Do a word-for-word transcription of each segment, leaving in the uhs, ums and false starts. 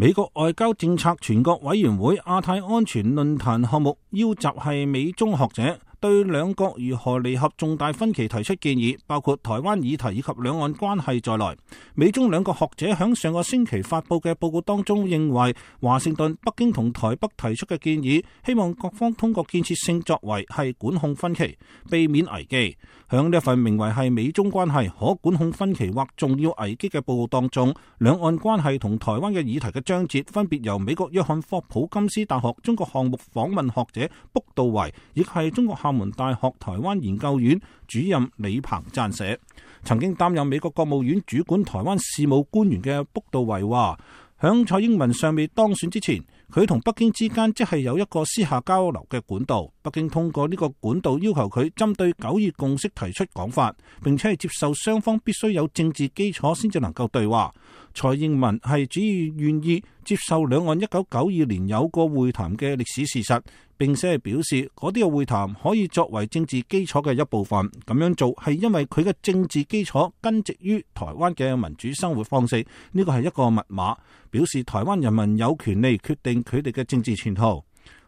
美國外交政策全國委員會亞太安全論壇項目邀集係美中學者，對兩國如何彌合重大分歧提出建議，包括台灣議題以及兩岸關係在內。美中兩個學者喺上個星期發佈嘅報告當中認為，華盛頓、北京同台北提出嘅建議，希望各方通過建設性作為係管控分歧，避免危機。響呢一份名為係美中關係可管控分歧或重要危機嘅報告當中，兩岸關係同台灣嘅議題嘅章節分別由美國約翰霍普金斯大學中國項目訪問學者卜道維，亦係中國廈門大學台灣研究院主任李鵬撰寫。曾經擔任美國國務院主管台灣事務官員嘅卜道維話，響蔡英文尚未當選之前，佢同北京之間即係有一個私下交流嘅管道，北京通過呢個管道要求佢針對九二共識提出講法，並且係接受雙方必須有政治基礎先至能夠對話。蔡英文係主要願意接受兩岸一九九二年有過會談嘅歷史事實，並且係表示嗰啲嘅會談可以作為政治基礎嘅一部分。咁樣做係因為佢嘅政治基礎根植於台灣嘅民主生活方式，呢個係一個密碼，表示台灣人民有權利決定佢哋嘅政治前途。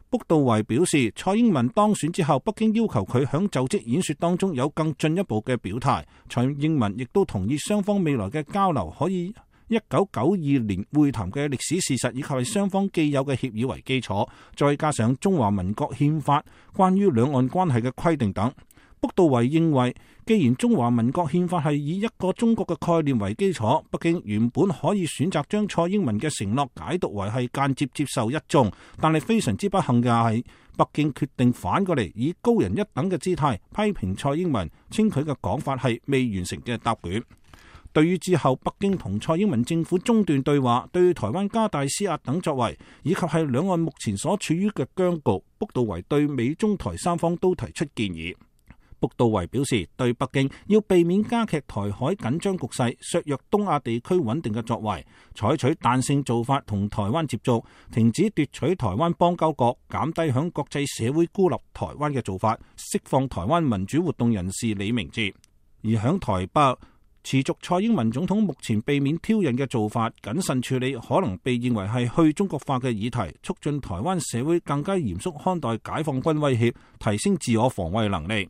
卜道維表示，蔡英文當選之後，北京要求佢響就職演說當中有更進一步嘅表態。蔡英文亦都同意雙方未來嘅交流可以一九九二年會談嘅歷史事實以及係雙方既有嘅協議為基礎，再加上中華民國憲法關於兩岸關係嘅規定等。卜道維認為，既然中華民國憲法係以一個中國嘅概念為基礎，北京原本可以選擇將蔡英文嘅承諾解讀為係間接接受一中，但係非常之不幸嘅係，北京決定反過嚟以高人一等嘅姿態批評蔡英文，稱佢嘅講法係未完成嘅答卷。對於之後北京同蔡英文政府中斷對話，對台灣加大施壓等作為，以及係兩岸目前所處於嘅僵局，卜道維對美中台三方都提出建議。卜道維表示，對北京要避免加劇台海緊張局勢、削弱東亞地區穩定嘅作為，採取彈性做法同台灣接觸，停止奪取台灣邦交國，減低響國際社會孤立台灣嘅做法，釋放台灣民主活動人士李明哲。而響台北，持續蔡英文總統目前避免挑釁嘅做法，謹慎處理可能被認為係去中國化嘅議題，促進台灣社會更加嚴肅看待解放軍威脅，提升自我防衛能力。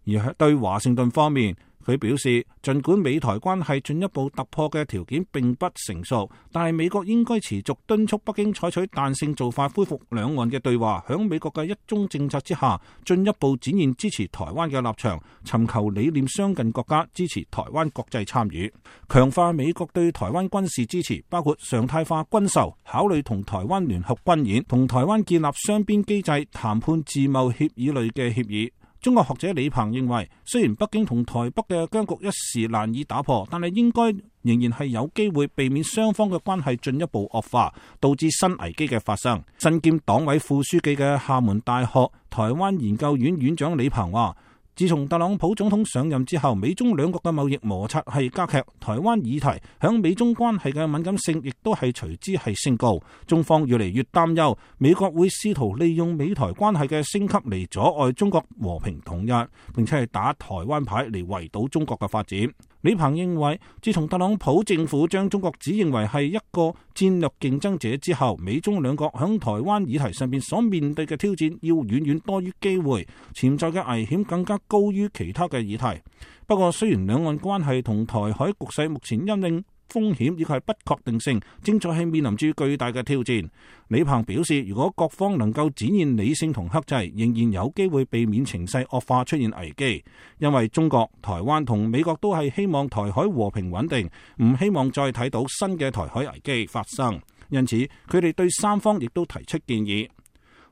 而對華盛頓方面，佢表示，儘管美台關係進一步突破嘅條件並不成熟，但係美國應該持續敦促北京採取彈性做法，恢復兩岸嘅對話，響美國嘅一中政策之下，進一步展現支持台灣嘅立場，尋求理念相近國家支持台灣國際參與，強化美國對台灣軍事支持，包括常態化軍售，考慮同台灣聯合軍演，同台灣建立雙邊機制談判自貿協議類嘅協議。中國學者李鵬認為，雖然北京同台北嘅僵局一時難以打破，但係應該仍然係有機會避免雙方嘅關係進一步惡化，導致新危機嘅發生。身兼黨委副書記嘅廈門大學台灣研究院院長李鵬話，自從特朗普總統上任之後，美中兩國嘅貿易摩擦係加劇，台灣議題響美中關係嘅敏感性亦都係隨之係升高。中方越嚟越擔憂，美國會試圖利用美台關係嘅升級嚟阻礙中國和平統一，並且係打台灣牌嚟圍堵中國嘅發展。李鵬認為，自從特朗普政府將中國指認為係一個戰略競爭者之後，美中兩國響台灣議題上面所面對嘅挑戰要遠遠多於機會，潛在嘅危險更加高於其他嘅議題。不過，雖然兩岸關係同台海局勢目前因應風險以及係不確定性，正在係面臨住巨大嘅挑戰。李鵬表示，如果各方能夠展現理性同克制，仍然有機會避免情勢惡化出現危機。因為中國、台灣同美國都係希望台海和平穩定，唔希望再睇到新嘅台海危機發生。因此，佢哋對三方亦都提出建議。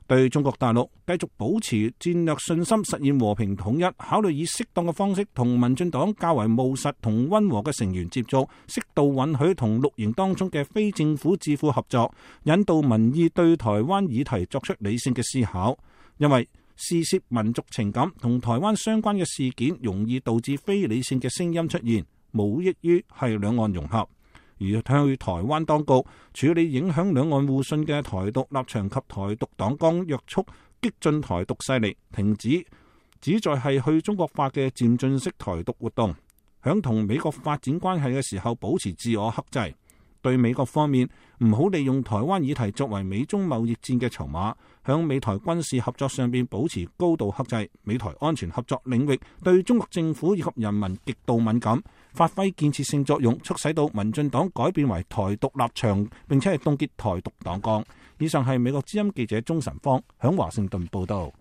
對中國大陸繼續保持戰略信心，實現和平統一，考慮以適當嘅方式同民進黨較為務實同溫和嘅成員接觸，適度允許同綠營當中嘅非政府智庫合作，引導民意對台灣議題作出理性嘅思考。因為事涉民族情感同台灣相關嘅事件，容易導致非理性嘅聲音出現，無益於係兩岸融合。而向台灣當局處理影響兩岸互信嘅台獨立場及台獨黨綱，約束激進台獨勢力，停止旨在係去中國化嘅漸進式台獨活動，響同美國發展關係嘅時候保持自我克制。對美國方面唔好利用台灣議題作為美中貿易戰嘅籌碼，響美台軍事合作上邊保持高度克制，美台安全合作領域對中國政府以及人民極度敏感，發揮建設性作用，促使到民進黨改變為台獨立場，並且係凍結台獨黨綱。以上係美國之音記者鍾晨芳響華盛頓報道。